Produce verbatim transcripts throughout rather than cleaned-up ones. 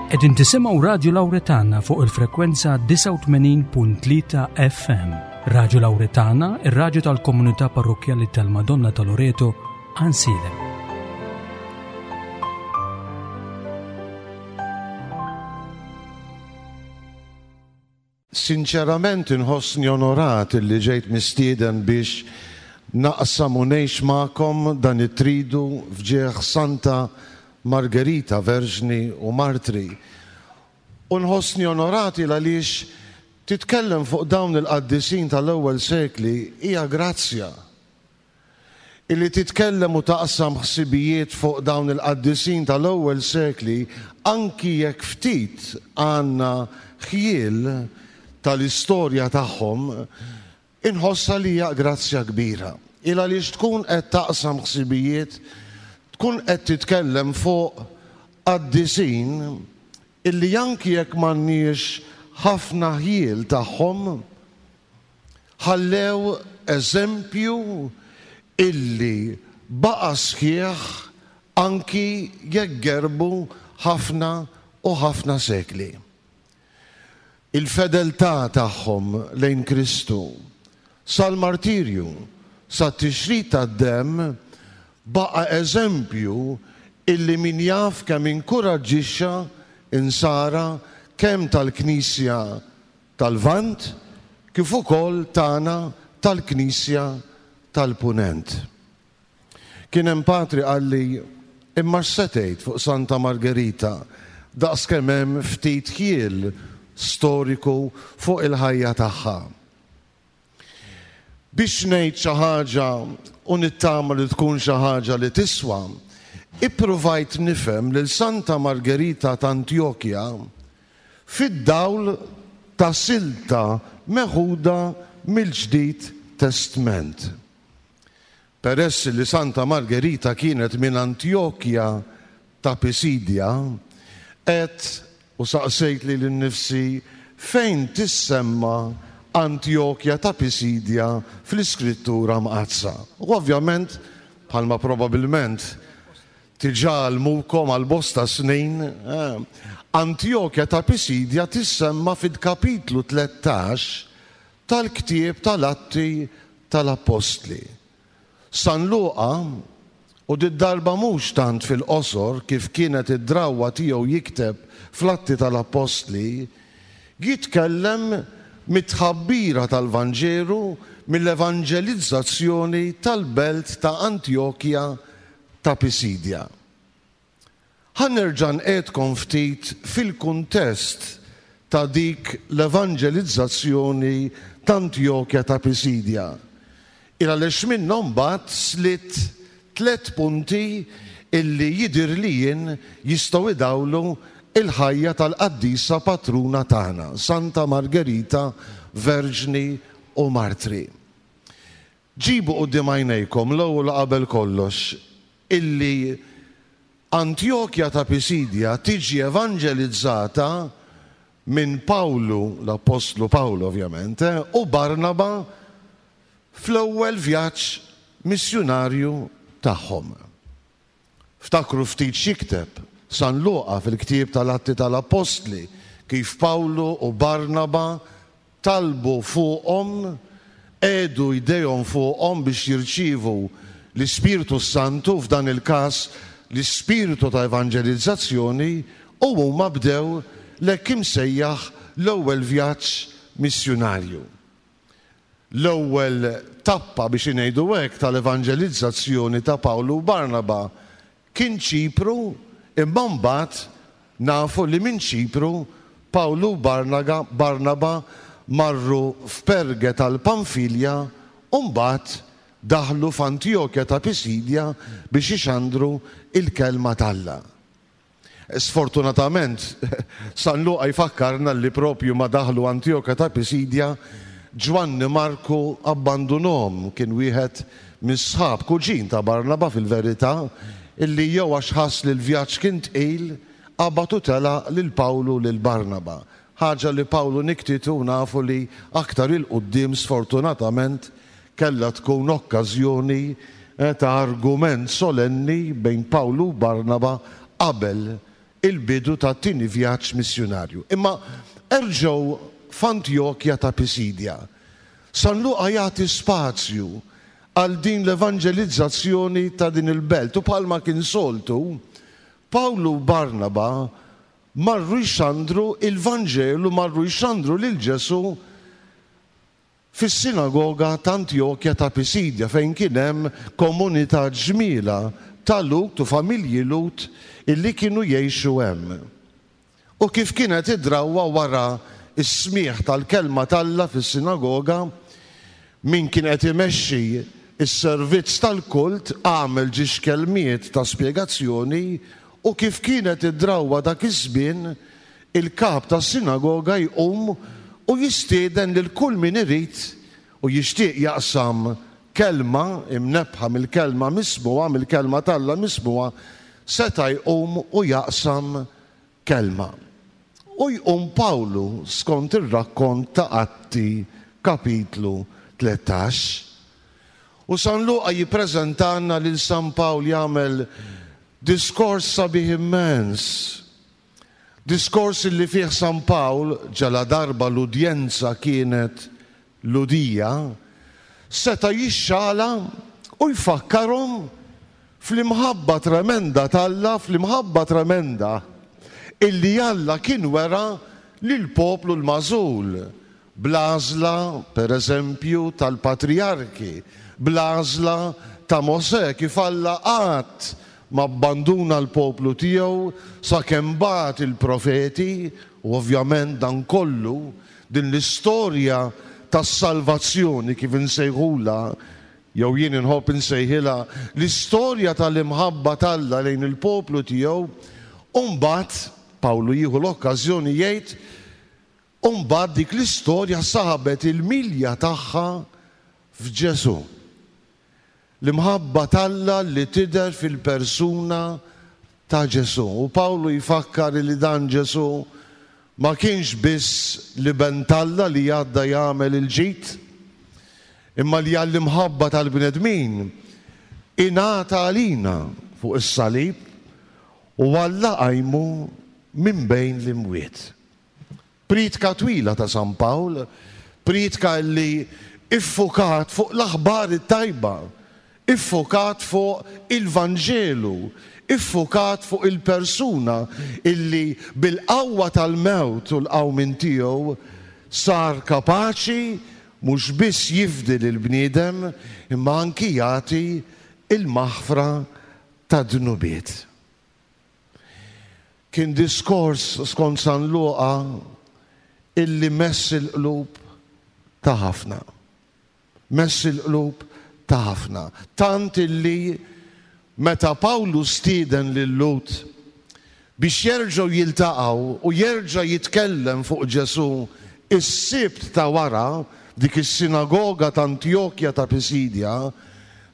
Qegħdin tisimgħu Radju Lawretana fuq il-frekwenza disgħa u tmenin punt tlieta F M. Radju Lawretana, ir-radju tal-komunità parrokkjali tal-Madonna ta' Loreto, Għajnsielem. Sinċerament inħossni onorat li ġejt mistieden biex naqsam u ngħix magħkom dan it-tridu f'ġieħ Santa Margherita, Verġni u Martri. U nħossni onorati għaliex titkellem fuq dawn il-qaddisin tal-ewwel sekli hija grazzja. Illi titkellem u taqsam ħsibijiet fuq dawn il-qaddisin tal-ewwel sekli, anki jekk ftit għandna ħjiel tal-istorja tagħhom, inħossha li hija grazzja kbira. Il għaliex tkun qed taqsam ħsibijiet, tkun qed titkellem fuq qaddisin illi anki jekk m'għandniex ħafna ħjiel tagħhom, ħallew eżempju illi baqa' sħiħ anki jekk gerbu ħafna u ħafna sekli. Il-fedeltà tagħhom lejn Kristu sal-martirju, sat-tixrid tad-demm, baqa' eżempju illi min jaf kemm inkuraġġixxa insara kemm tal-Knisja tal-Lvant kif ukoll tagħna tal-Knisja tal-Punent. Kien hemm patri qalli, imma x'se tgħid fuq Santa Margherita daqs kemm hemm ftit ħjiel storiku fuq il-ħajja tagħha? Biex ngħid xi ħaġa u nittama li tkun xi ħaġa li tiswa, ippruvajt nifhem lil Santa Margherita ta' Antjokja fid-dawl ta' silta meħuda mill-Ġdid Testment. Peress li Santa Margherita kienet minn Antjokja ta' Pisidja, et u saqsejt lili nnifsi fejn tissemma Antjokja ta' Pisidja fl-Iskrittura Mqaddsa. U ovvjament, bħalma probabilment diġà għallmukom għal bosta snin, eh, Antjokja ta' Pisidja tissemma fil-kapitlu tlettax tal-ktieb tal-Atti tal-Appostli. San Luqa, u did-darba mhux tant fil-qosor kif kienet id-drawwa tiegħu jikteb fl-Atti tal-Appostli, jitkellem mit-tħabbira tal-Vanġelu, mill-evanġelizzazzjoni tal-belt ta' Antjokja ta' Pisidja. Ħa nerġa' nqegħedkom ftit fil-kuntest ta' dik l-evanġelizzazzjoni ta' Antjokja ta' Pisidja. Il għaliex minnhom mbagħad slitt tliet punti illi jidher li jien jistgħu idawlu il-ħajja tal-qaddisa patruna tagħna, Santa Margherita, Verġni u Martri. Ġibu quddiem għajnejkom l-ewwel qabel kollox illi Antjokja ta' Pisidja tiġi evanġelizzata minn Pawlu, l-Apostlu Pawlu ovvjament, eh, u Barnaba fl-ewwel vjaġġ missjunarju tagħhom. Ftakru ftit x'jikteb San Luqa fil-ktieb tal-Atti tal-Appostli, kif Pawlu u Barnaba talbu fuqhom, qiegħdu jdejhom fuqhom biex jirċievu l-Ispirtu Santu, f'dan il-każ l-Ispirtu ta' evanġelizzazzjoni, u huma bdew l-hekk imsejjaħ l-ewwel vjaġġ missjunarju. L-ewwel tappa, biex ngħidu hekk, tal-evanġelizzazzjoni ta' Pawlu u Barnaba kien Ċipru, imma mbagħad nafu li minn Ċipru Pawlu u Barnaba marru f'Perge tal-Pamfilja u mbagħad daħlu f'Antjokja ta' Pisidja biex ixandru il-kelma t'Alla. Sfortunatament, San Luqa jfakkarna li propju ma daħlu Antjokja ta' Pisidja, Ġwanni Marku abbandunhom, kien wieħed mis-sħab kuġin ta' Barnaba fil-verità, illi jew għax ħass li l-vjaġġ kien tqil, qabad u telaq lil Pawlu lil Barnaba. Ħaġa li Pawlu niktitu nafu li aktar il-quddiem sfortunatament kellha tkun okkażjoni, eh, ta' argument solenni bejn Pawlu u Barnaba qabel il-bidu tat-tieni vjaġġ missjunarju. Imma erġgħu f'Antjokja ta' Pisidja. San Luqa jagħti spazju għal din l-evanġelizzazzjoni ta' din il-belt u bħalma kien soltu, Pawlu u Barnaba marru jxandru il-Vanġelu, marru jxandru lil Ġesù fis-sinagoga ta' Antjokja ta' Pisidja fejn kien hemm komunità ġmiela ta' Lhud u familji Lhud illi kienu jgħixu hemm. U kif kienet id-drawwa wara s-smigħ tal-kelma t'Alla fis-sinagoga, min kien qed imexxi s-servizz tal-kult għamel ġiex kelmiet ta' spjegazzjoni u kif kienet id-drawwa dak iż-żmien, il-kap tas-sinagoga jqum u jistieden lil kull min irid u jixtieq jaqsam kelma imnebbħa mill-kelma mismugħa, mill-kelma t'Alla mismugħa, seta' jqum u jaqsam kelma. U jqum Pawlu skont ir-rakkont ta' Atti kapitlu tlettax. U San Luqa jippreżentalna lil San Pawl jagħmel diskors sabiħ immens. Diskors li fih San Pawl, ġala darba l-udjenza kienet Lhudija, seta' jixxala u jfakkarhom fl-imħabba tremenda t'Alla, fl-imħabba tremenda illi Alla kien wera lill-poplu l-magħżul, bl-għażla, per eżempju, tal-patrijarki, bl-għażla ta' Mosè, kif Alla qatt ma abbanduna l-poplu tiegħu sakemm bagħat il-profeti, u ovvjament dan kollu, din l-istorja tas-salvazzjoni kif insejħulha, jew jien inħobb insejħilha, l-istorja tal-imħabba t'Alla lejn il-poplu tiegħu, u mbagħad Pawlu jieħu l-okkażjoni jgħid, u mbagħad dik l-istorja sabet il-milja tagħha f'Ġesù. L-imħabba t'Alla li tidher fil-persuna ta' Ġesù. U Pawlu jfakkar li dan Ġesù ma kienx biss l-iben t'Alla li għadda jagħmel il-ġid, imma li għall-imħabba tal-bnedmin ingħata għalina fuq is-salib u Alla qajmu minn bejn l-imwiet. Priedka twila ta' San Pawl, priedka li iffukat fuq l-aħbar it-tajba, iffukat fuq il-Vanġelu, iffukat fuq il-persuna illi bil-qawwa tal-mewt u l-qawmien tiegħu sar kapaċi mhux biss jifdi lill-bniedem imma anki jagħti il-maħfra tad-dnubiet. Kien diskors skont San Luqa illi mess il-qlub ta' ħafna. Mess il-qlub ta' ħafna. Tant illi meta Pawlu stieden lil Lhud biex jerġgħu jiltaqgħu u jerġa' jitkellem fuq Ġesù is-Sibt ta' wara dik is-sinagoga ta' Antjokja ta' Pisidja,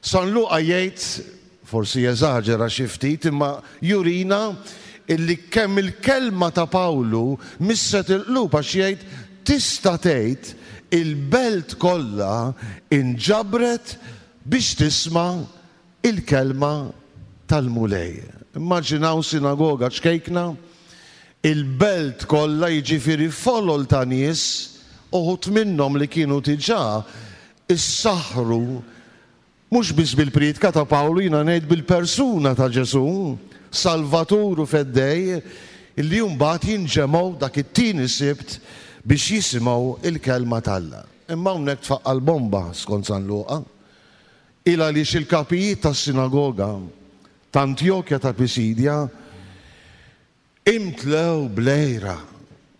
San Luqa jgħid, forsi jeżaġera xi ftit, imma jurina illi kemm il-kelma ta' Pawlu misset il-qlub, għax jgħid tista' tgħid il-belt kollha inġabret biex tisma' il-kelma tal-Mulej. Immaġinaw sinagoga ċkejkna, il-belt kollha, jiġifieri folol ta' nies, uħud minnhom li kienu diġà issaħħru mhux biss bil-priedka ta' Pawlu, jiena ngħid bil-persuna ta' Ġesù, Salvatur u Feddej, illi mbagħad jinġemgħu dak it-tieni Sibt biex jisimgħu il-kelma t'Alla. Imma hawnhekk tfaqqa' l-bomba skont San Luqa, il għaliex il-kapijiet tas-sinagoga ta' Antjokja ta' Pisidja imtlew bl-għira.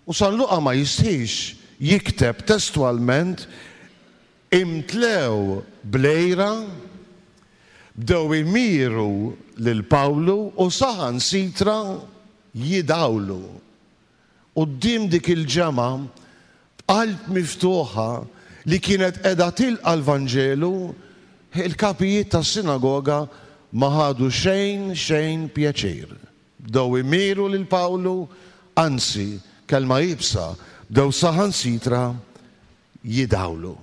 U San Luqa ma jistħix jikteb testwalment imtlew bl-għira, bdew imiru lil Pawlu u saħansitra jidawlu. Quddiem dik il-ġemgħa b'qalb miftuħa li kienet qiegħda tilqa' l-Vanġelu, il-kapijiet tas-sinagoga ma ħadu xejn xejn pjaċir. Bdew imiru lil Pawlu, anzi, kelma iebsa, bdew saħansitra jidawlu.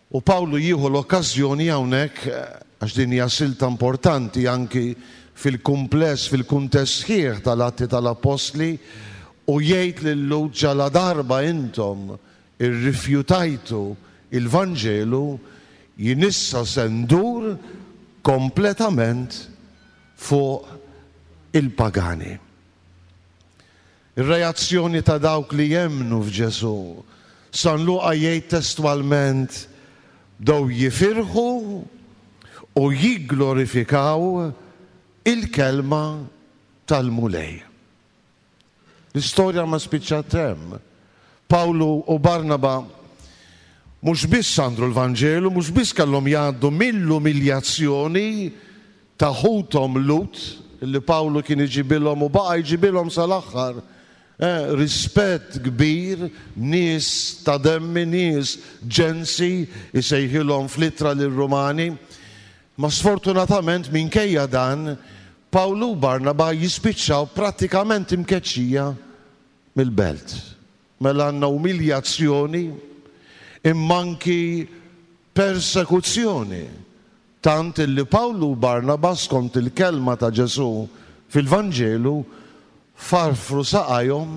U Pawlu jieħu l-okkażjoni hawnhekk, għax din hija silta importanti anki fil-kumpless, fil-kuntest sħiħ tal-Atti tal-Appostli, u jgħid lil-Lhud ġala darba intom irrifjutajtu il-Vanġelu, jien issa se ndur kompletament fuq il-pagani. Ir-reazzjoni ta' dawk li jemmnu f'Ġesù, San Luqa jgħid testwalment, bdew jifirħu u jigglorifikaw il-kelma tal-Mulej. L-istorja ma spiċċat hemm. Pawlu u Barnaba mhux biss xandru l-Vanġelu, mhux biss kellhom jgħaddu mill-umiljazzjoni ta' ħuthom Lhud, li Pawlu kien iġibilhom u baqa' jġibilhom sal-aħħar. Eh, rispett kbir, nies ta' demmi, nies ġensi, isejħilhom fl-ittra lir-Rumani. Ma sfortunatament minkejja dan, Pawlu u Barnaba jispiċċaw prattikament imkeċċija mill-belt. Mela għandna umiljazzjoni imma anki persekuzzjoni. Tant illi Pawlu u Barnaba skont il-kelma ta' Ġesù fil-Vanġelu farfru saqajhom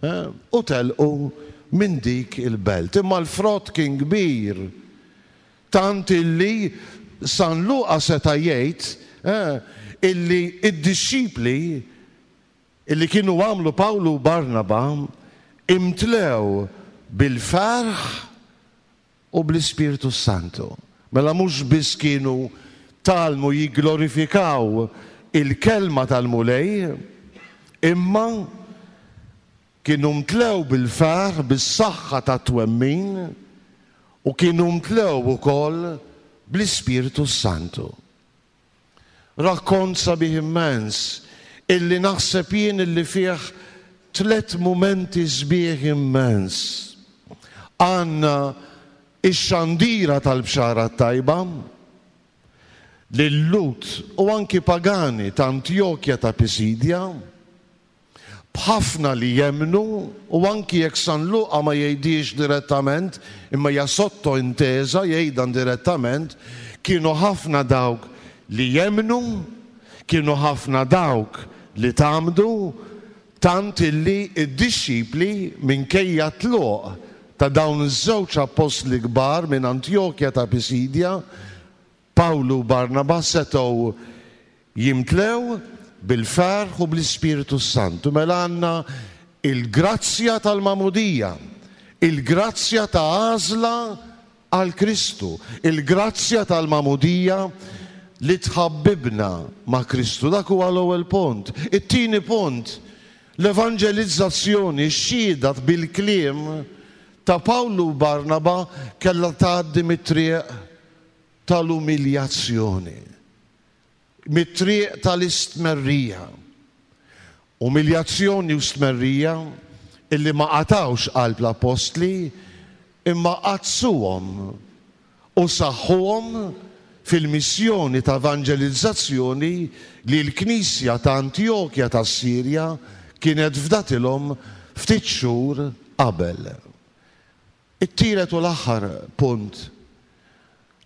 eh, u telqu minn dik il-belt. Imma l-frott kien kbir, tant illi San Luqa seta' jgħid eh, illi id-dixxipli illi kienu għamlu Pawlu u Barnaba imtlew bil-ferħ u bl-Ispirtu Santu. Mela mhux biss kienu tgħallmu jigglorifikaw il-kelma tal-Mulej, imma kienu mtlew bil-ferħ, bis-saħħa tat-twemmin, u kienu mtlew ukoll bl-Ispirtu Santu. Rakkont sabiħ immens illi naħseb jien illi fih tliet mumenti sbieħ immens. Għandna ix-xandira tal-bxara tajba lil-Lhud u anki pagani ta' Antjokja ta' Pisidja, b'ħafna li jemmnu, u anki jekk San Luqa ma jgħidix direttament, imma hija sotto intesa jgħidha direttament, kienu ħafna dawk li jemmnu, kienu ħafna dawk li tgħammdu, tant illi id-dixxipli minkejja tluq ta' dawn iż-żewġ appostli kbar minn Antjokja ta' Pisidja, Pawlu u Barnaba, setgħu jimtlew bil-ferħ u bl-Ispirtu Santu. Mela għandna il-grazzja tal-magħmudija, il-grazzja ta' għażla għal Kristu, il-grazzja tal-magħmudija li tħabbibna ma' Kristu. Dak huwa l-ewwel punt. It-tieni punt, l-evanġelizzazzjoni, x-xhieda bil-kliem ta' Pawlu u Barnaba kellha tgħaddi mit-triq tal-umiljazzjoni, mit-triq tal-istmerrija. Umiljazzjoni u stmerrija illi ma qatawx qalb l-appostli, imma qadsuhom u saħħuhom fil-missjoni ta' evanġelizzazzjoni li l-Knisja ta' Antjokja ta' Sirja kienet fdatilhom ftit xhur qabel. It-tielet u l-aħħar punt,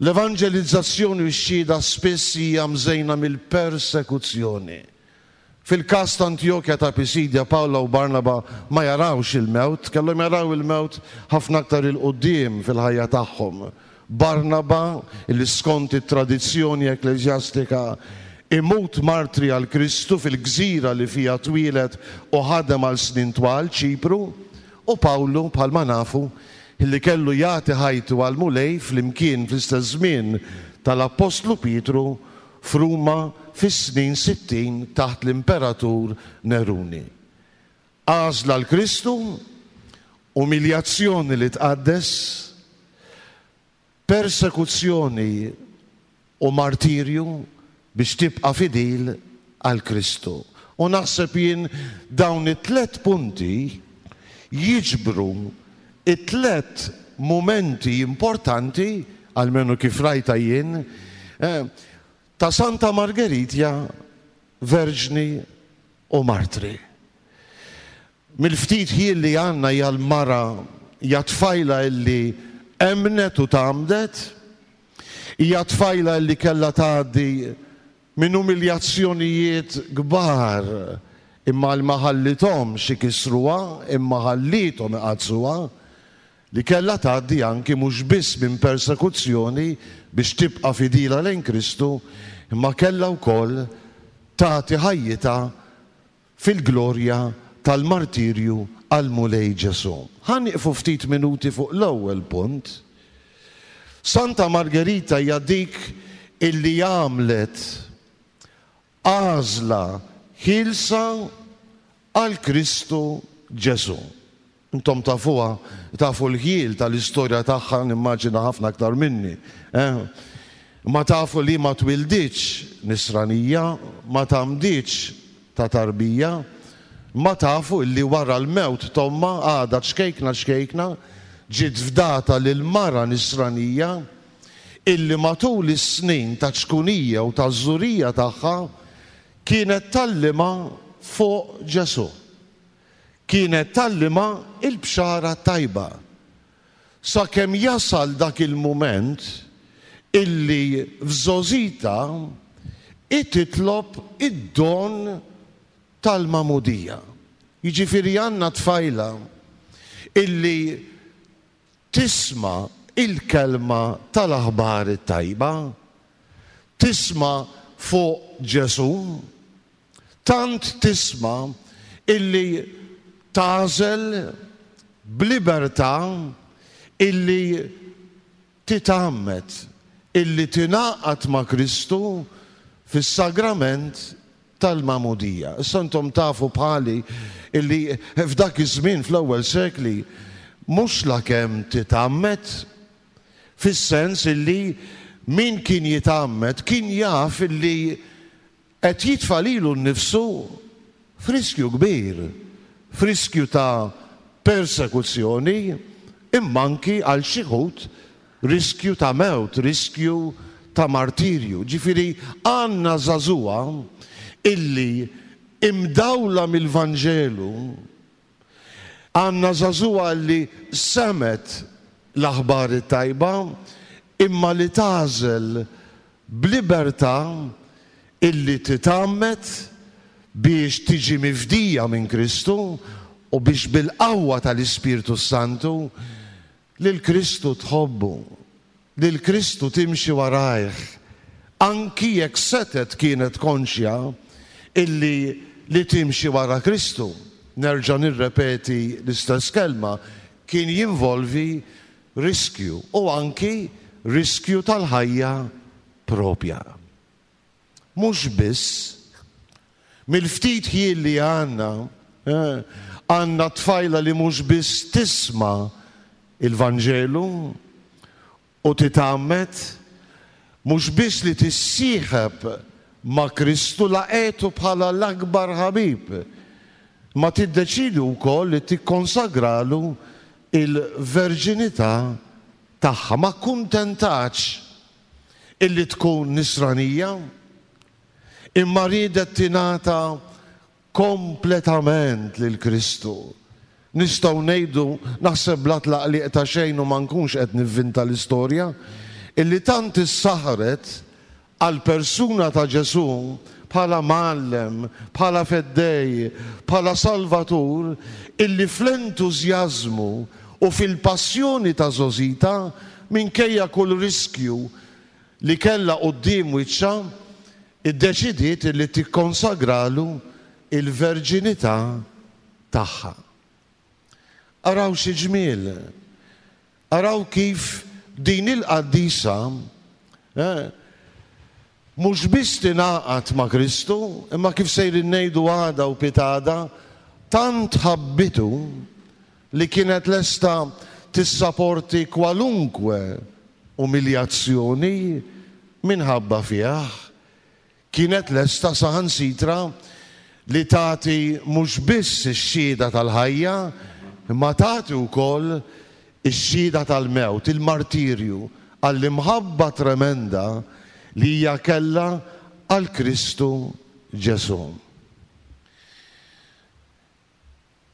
l-evanġelizzazzjoni u x-xhieda spiss hija mżejna mill-persekuzzjoni. Fil-każ ta' Antjokja ta' Pisidja, Pawla u Barnaba ma jarawx il-mewt, kellhom jaraw il-mewt ħafna aktar il-quddiem fil-ħajja tagħhom. Barnaba, li skont it-tradizzjoni ekkleżjastika imut martri għal Kristu fil-gżira li fija twieled u ħadem għal snin twal, Ċipru, u Pawlu, bħalma nafu, li kellu jagħti ħajtu għal Mulej flimkien fl-istess żmien tal-Appostlu Pietru f'Ruma fis-snin sittin taħt l-Imperatur Neruni. Għażla l Kristu, umiljazzjoni li tqaddes, persekuzzjoni u martirju biex tibqa' fidil għal Kristu. U naħseb jien dawn it-tlet punti jiġbru it-tlet momenti importanti, almenu kif rajta jien, eh, ta' Santa Margherita, Verġni u Martri. Mill-ftit ħin li għandna hija l-mara, hija tfajla illi emnet u tgħammdet, hija tfajla illi kellha tgħaddi minn umiljazzjonijiet kbar, imma li ma ħallithomx ikissruha, imma ħallithom iqaddsuha, li kellha tgħaddi anki mhux biss minn persekuzzjoni biex tibqa' fidila lejn Kristu, imma kellha wkoll tagħti ħajjitha fil-glorja tal-martirju għall-Mulej Ġesù. Ħa nieqfu ftit minuti fuq l-ewwel punt. Santa Margherita hija dik illi għamlet għażla ħielsa għal Kristu Ġesù. Intom tafuha, tafu l-ħjiel tal-istorja tagħha, nimmaġina ħafna aktar minni. Eh? Ma tafu li ma twilditx nisranija, ma tgħammditx ta' tarbija, ma tafu illi wara l-mewt t'ommha għadha ċkejkna ċkejkna ġiet fdata lil mara nisranija illi matul is-snin ta' ċkunija u ta' żurija tagħha kienet tgħallimha fuq Ġesù. Kienet tgħallimha il-bxara tajba. Sakemm jasal dak il-mument illi f'żgħożitha titlob id-don tal-magħmudija. Jiġifieri għandna tfajla illi tisma' il-kelma tal-aħbar it-tajba, tisma' fuq Ġesù, tant tisma' illi tagħżel b'libertà illi titgħammed, illi tingħaqad ma' Kristu fis-sagrament tal-magħmudija. Issa intom tafu bħali illi f'dak iż-żmien fl-ewwel sekli mhux lakemm titgħammed, fis-sens illi min kien jitgħammed kien jaf illi qed jitfa' lilu nnifsu f'riskju kbir, f'riskju ta' persekuzzjoni, imma anki għal xi wħud riskju ta' mewt, riskju ta' martirju. Ġifieri għandna żagħżugħa illi imdawla mill-Vanġelu, għandna żagħżugħa li semgħet l-aħbar it-tajba, imma li tagħżel b'libertà illi titgħammed biex tiġi mifdija minn Kristu u biex bil-qawwa tal-Ispirtu Santu lil Kristu tħobbu, lil Kristu timxi warajh, anki jekk setgħet kienet konxja illi li timxi wara Kristu, nerġa' nirrepeti l-istess kelma, kien jinvolvi riskju u anki riskju tal-ħajja propja. Mhux biss, mill-ftit ħin li għandna, għandna tfajla li mhux biss tisma' il-Vanġelu u titgħammed, mhux biss li tissieħeb ma' Kristu laqgħetu bħala l-akbar ħabib, ma tiddeċidi wkoll li tikkonsagralu il-verġinità tagħha. Ma kuntentax illi tkun nisranija, imma riedet tingħata kompletament lil Kristu. Nistgħu ngħidu, naħseb bla tlaqliq ta' xejn u ma nkunx qed nivvinta l-istorja, illi tant issaħret għal persuna ta' Ġesù bħala mgħallem, bħala feddej, bħala salvatur, illi fl-entużjażmu u fil-passjoni ta' żgħożitha, minkejja kull riskju li kellha quddiem wiċċha, iddeċidiet illi tikkonsagralu il-verġinità tagħha. Araw xi ġmiel, araw kif din il-qaddisa eh, mhux biss tingħaqad ma' Kristu, imma kif sejrin ngħidu għada u pitada, tant ħabbitu li kienet lesta tissaporti kwalunkwe umiljazzjoni minħabba fih. Kienet lesta saħansitra li tagħti mhux biss ix-xhieda tal-ħajja, imma tagħti wkoll ix-xhieda tal-mewt, il-martirju, għall-imħabba tremenda li hija kellha għal Kristu Ġesù.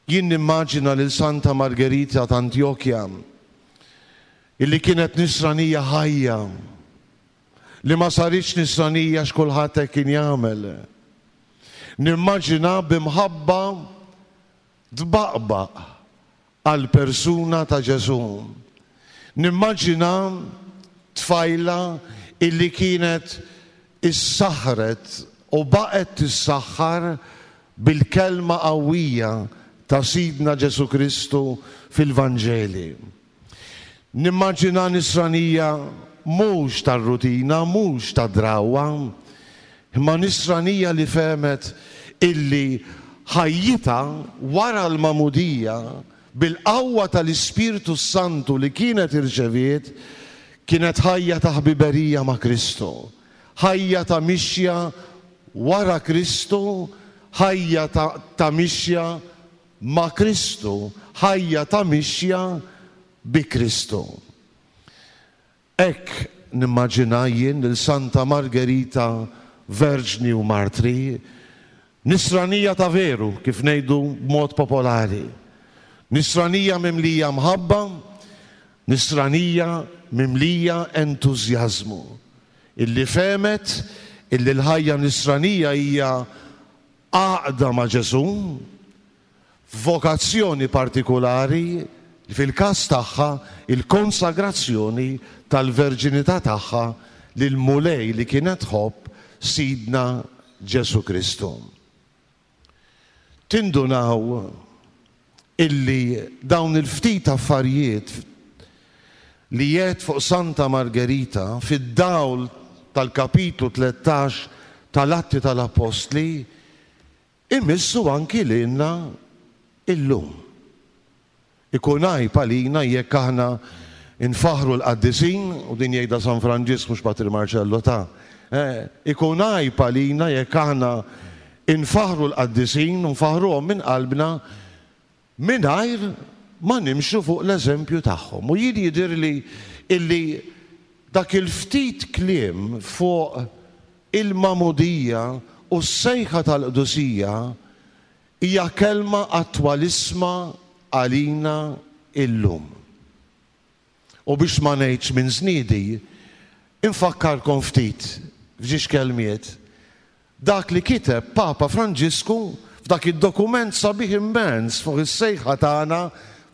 Jien nimmaġina lil Santa Margherita ta' Antjokja illi kienet nisranija ħajja, li ma saritx nisranija x'kulħadd hekk kien jagħmel. Nimmaġina b'imħabba tbaqbaq għal persuna ta' Ġesù. Nimmaġina tfajla illi kienet issaħret u baqgħet tissaħħar bil-kelma qawwija ta' Sidna Ġesù Kristu fil-Vanġeli. Nimmaġina nisranija mhux tar-rutina, mhux tad-drawwa, imma nisranija li fehmet illi ħajjitha wara l-magħmudija bil-qawwa tal-Ispirtu Santu li kienet irċeviet kienet ħajja ta' ħbiberija ma' Kristu, ħajja ta' mixja wara Kristu, ħajja ta', ta' mixja ma' Kristu, ħajja ta' mixja bi Kristu. Hekk nimmaġina jien lil Santa Margherita Verġni u Martri, nisranija ta' veru, kif ngħidu b'mod popolari. Nisranija mimlija mħabba, nisranija mimlija entużjażmu, illi fehmet illi l-ħajja nisranija hija għaqda ma' Ġesù, vokazzjoni partikulari, fil-każ tagħha il-konsagrazzjoni tal-verġinità tagħha lil Mulej li kienet tħobb Sidna Ġesù Kristu. Tindunaw illi dawn il-ftit affarijiet li jgħid fuq Santa Margherita fid-dawl tal-kapitlu tlettax tal-Atti tal-Appostli imissu anki lilna illum. Ikun għajb għalina jekk aħna nfaħru l-qaddisin, u din jgħidha San Franġisk mhux Patri Marcello ta', eh, ikun għajb għalina jekk aħna nfaħru l-qaddisin u nfaħruhom minn qalbna mingħajr ma nimxu fuq l-eżempju tagħhom. U jien jidhirli illi dak il-ftit kliem fuq il-magħmudija u s-sejħa tal-qdusija hija kelma attwalisma għalina illum. U biex ma ngħidx minn żniedi, infakkarkom ftit f'ġiex kelmiet dak li kiteb Papa Franġisku f'dak id-dokument sabiħ immens fuq is-sejħa tagħna,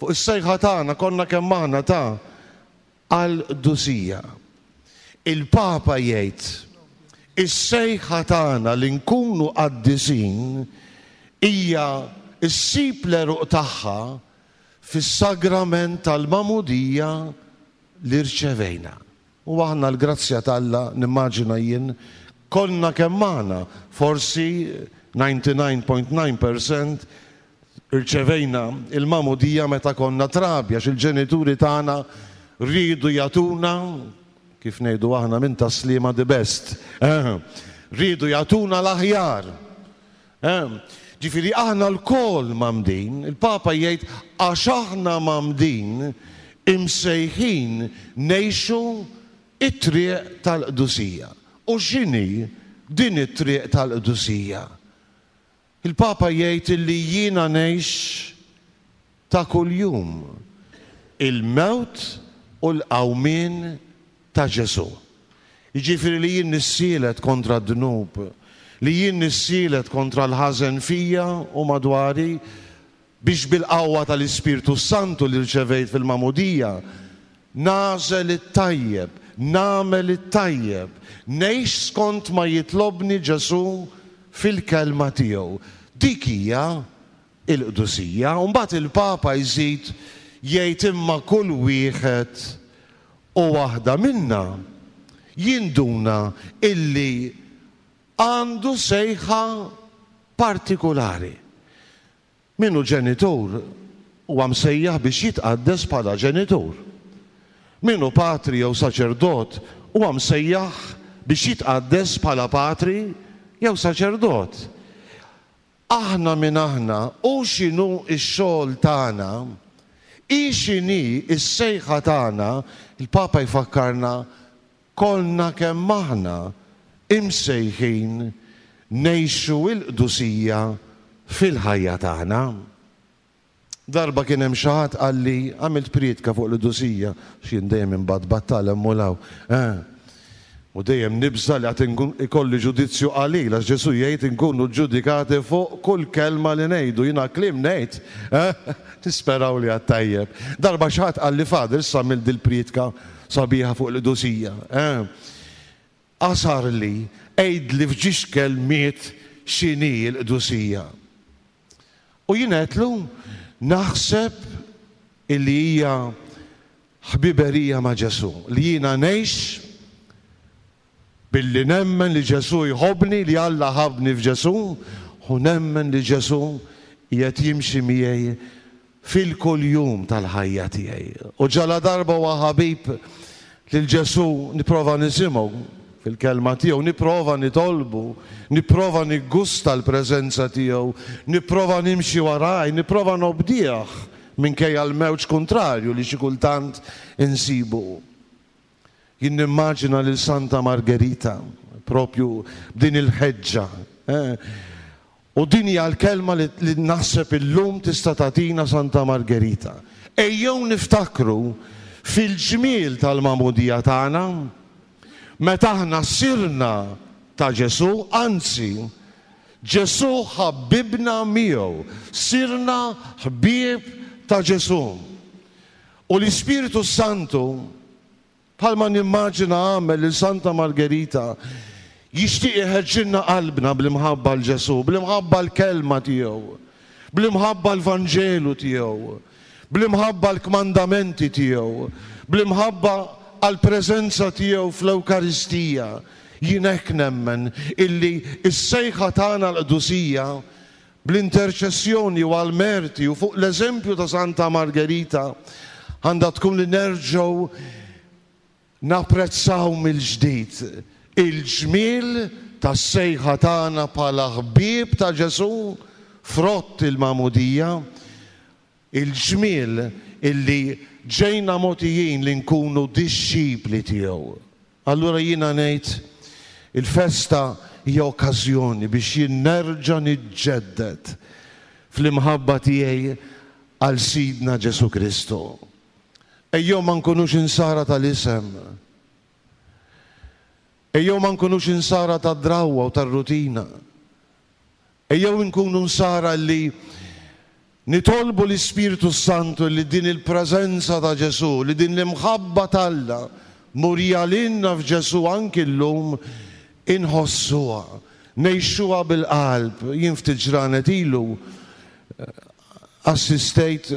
fuq is-sejħa tagħna konna kemm aħna ta' għall-qdusija. Il-Papa jgħid, is-sejħa tagħna li nkunu qaddisin hija ssib l-għeruq tagħha fis-sagrament tal-magħmudija li rċevejna. U aħna l-grazzja t'Alla, nimmaġina jien, konna kemm aħna, forsi ninety-nine point nine percent irċevejna il-magħmudija meta konna trabi, għax il-ġenituri tagħna riedu jagħtuna, kif ngħidu aħna minn taslima the best, eh, riedu jagħtuna l-aħjar. Eh, ġifieri aħna lkoll mamdin, il-Papa jgħid għax aħna mamdin imsejħin ngħixu it-triq tal-qdusija. U x'inhi din it-triq tal-qdusija? Il-Papa jgħid illi jiena ngħix ta' kuljum il-mewt u l-qawmien ta' Ġesù. Jiġifieri li jien nissielet kontra d-dnub, li jien nissielet kontra l-ħażen fija u madwari, biex bil-qawwa tal-Ispirtu Santu li rċevejt fil-magħmudija nagħżel it-tajjeb, nagħmel it-tajjeb, ngħix skont ma jitlobni Ġesù fil-kelma tiegħu. Dik hija il-qdusija. U mbagħad il-Papa jżid jgħid imma kull wieħed u waħda minna jinduna illi għandu sejħa partikulari. Min hu ġenitur huwa msejjaħ biex jitqaddes bħala ġenitur. Min hu patri jew saċerdot huwa msejjaħ biex jitqaddes bħala patri jew saċerdot. Aħna min aħna u x'inhu x-xogħol tagħna, hi x'inhi s-sejħa tagħna, il-Papa jfakkarna kollna kemm aħna imsejħin ngħixu l-qdusija fil-ħajja tagħna. Darba kien hemm xi ħadd qalli għamilt prietka fuq l-qdusija, x'jien dejjem imbagħad battal hemm u law. Eh. U dejjem nibża li għad ikolli ġudizzju qalil, għax Ġesù jgħid inkunu ġudikati fuq kull kelma li ngħidu. Jiena kliem ngħid, eh? Nisperaw li għad tajjeb. Darba xi ħadd qalli, Father, issa għamilt dil-priedka sabiħa fuq l-qdusija. Eh? Qasar li, għidli f'ġiex kelmiet x'inhi l-qdusija. U jien għedtlu, naħseb illi hija ħbiberija ma' Ġesù, li jiena ngħix billi nemmen li Ġesù jħobbni, li Alla ħabbni f'Ġesù, u nemmen li Ġesù qiegħed jimxi miegħi fil-kuljum tal-ħajja tiegħi. U ġala darba huwa ħabib lil Ġesù nipprova nisimgħu fil-kelma tiegħu, nipprova nitolbu, nipprova niggusta l-preżenza tiegħu, nipprova nimxi waraj, nipprova nobdih minkejja l-mewġ kontrarju li xi kultant insibu. Jien nimmaġina lil Santa Margherita propju b'din il-ħeġġa. Eh? U din hija l-kelma li, li naħseb illum tista' tagħtina Santa Margherita. Ejjew niftakru fil-ġmiel tal-magħmudija tagħna, meta aħna sirna ta' Ġesù, anzi, Ġesù ħabbibna miegħu, sirna ħbieb ta' Ġesù. U l-Ispirtu Santu, bħalma nimmaġina għamel lil Santa Margherita, jixtieq iħeġġilna qalbna bl-imħabba l Ġesù, bl-imħabba l-kelma tiegħu, bl-imħabba l-Vanġelu tiegħu, bl-imħabba l-kmandamenti tiegħu, bl-imħabba għall-preżenza tiegħu fl-Ewkaristija. Jien hekk nemmen illi s-sejħa tagħna l-qdusija bl-interċessjoni u għall-merti u fuq l-eżempju ta' Santa Margherita għandha tkun li nerġgħu napprezzaw mill-ġdid il-ġmiel tas-sejħa tagħna bħala ħbieb ta' Ġesù frott il-magħmudija, il-ġmiel illi ġejna mogħtijin li nkunu dixxipli tiegħu. Allura jiena ngħid il-festa hija okkażjoni biex jien nerġa' niġġedded fl-imħabba tiegħi għal Sidna Ġesù Kristu. Ejjew ma nkunux insara tal-isem. Ejjew ma nkunux insara tad-drawwa u tar-rutina. Ejjew nkunu nsara li nitolbu l-Ispirtu Santu li din il-preżenza ta' Ġesù, li din l-imħabba t'Alla murija lilna f'Ġesù anki llum inħossuha, ngħixuha bil-qalb. Jien ftit ġranet ilu assistejt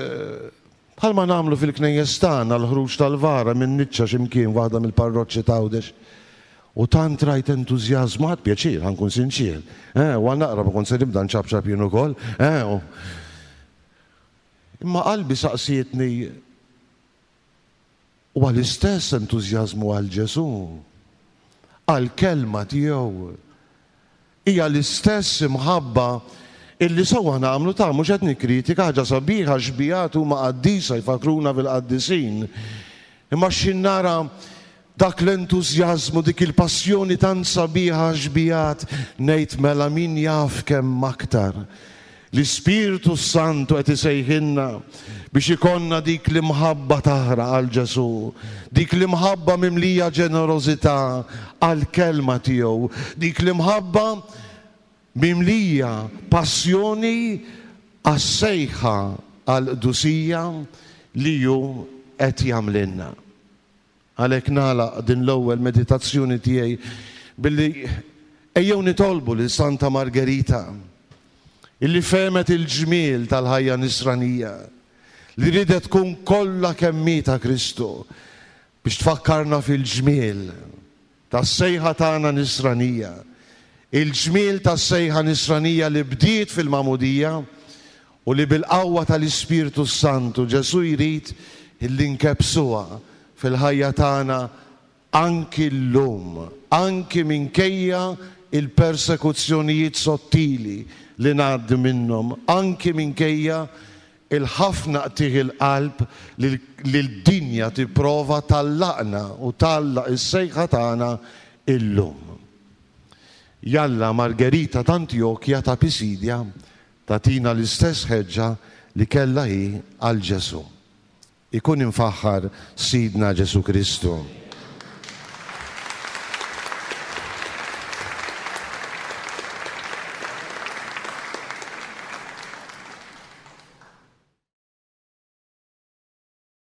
bħalma nagħmlu fil-knejjes tagħna l-ħruġ tal-vara minn niċċa x'imkien waħda mill-parroċċi t'Għawdex. U tant rajt entużjażmu, ħadt pjaċir, ħa nkun sinċier. Eh, u naqra ma kont se nibda nċapċap jien ukoll. Eh, imma qalbi saqsietni huwa l-istess entużjażmu għal Ġesù, għall-kelma tiegħu. Hija l-istess imħabba illi sewwa nagħmlu ta' mhux qed nikkritika, ħaġa sabiħa, xbijat huma qaddisa jfakruna fil-qaddisin. Imma x'ħin nara dak l-entużjażmu, dik il-passjoni tant sabiħa xbijat, ngħid mela min jaf kemm aktar. L-Ispirtu Santu qed isejħilna biex ikonna dik l-imħabba taħraq għal Ġesù, dik l-imħabba mimlija ġenerożità għall-kelma tiegħu, dik l-imħabba mimlija passjoni għas-sejħa għall-qdusija li hu qed jagħmlilna. Għalhekk nagħlaq din l-ewwel meditazzjoni tiegħi billi ejjew nitolbu lil Santa Margherita illi fehmet il-ġmiel tal-ħajja nisranija, li ridet tkun kollha kemm hi ta' Kristu biex tfakkarna fil-ġmiel tas-sejħa tagħna nisranija, il-ġmiel tas-sejħa nisranija li bdiet fil-magħmudija u li bil-qawwa tal-Ispirtu Santu Ġesù jrid illi nkebsuha fil-ħajja tagħna anki llum, anki minkejja il-persekuzzjonijiet sottili li ngħaddi minnhom, anki minkejja il-ħafna qtigħ il-qalb li l-dinja tipprova tallaqna u tallaq is-sejħa tagħna illum. Jalla Margherita t'Antjokja ta' Pisidja tagħtina l-istess ħeġġa li kellha hi għal Ġesù. Ikun imfaħħar Sidna Ġesù Kristu.